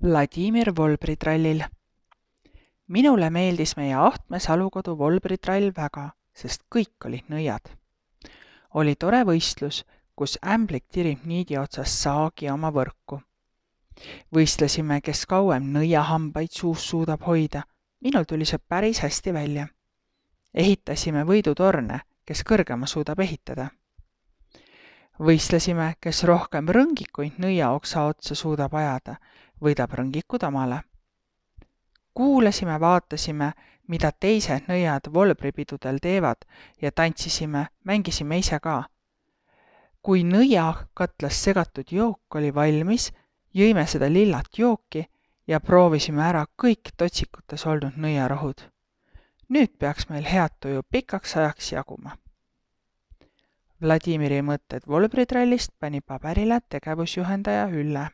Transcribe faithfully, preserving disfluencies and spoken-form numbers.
Vladimir Volbritrallil. Minule meeldis meie Ahtme Salukodu Volbritrall väga, sest kõik olid nõiad. Oli tore võistlus, kus ämblik tirib niidi otsas saagi oma võrku. Võistlesime, kes kauem nõiahambaid suus suudab hoida. Minul tuli see päris hästi välja. Ehitasime võidutorne, kes kõrgema suudab ehitada. Võistlesime, kes rohkem rõngikuid nõiaoksa otsa suudab ajada, võidab rõngikud omale. Kuulasime, vaatasime, mida teised nõiad volbripidudel teevad ja tantsisime, mängisime ise ka. Kui nõiakatlas segatud jook oli valmis, jõime seda lillat jooki ja proovisime ära kõik totsikutes olnud nõiarohud. Nüüd peaks meil head tuju pikaks ajaks jaguma. Vladimiri mõtted Volbritrallist pani paberile tegevusjuhendaja Ülle.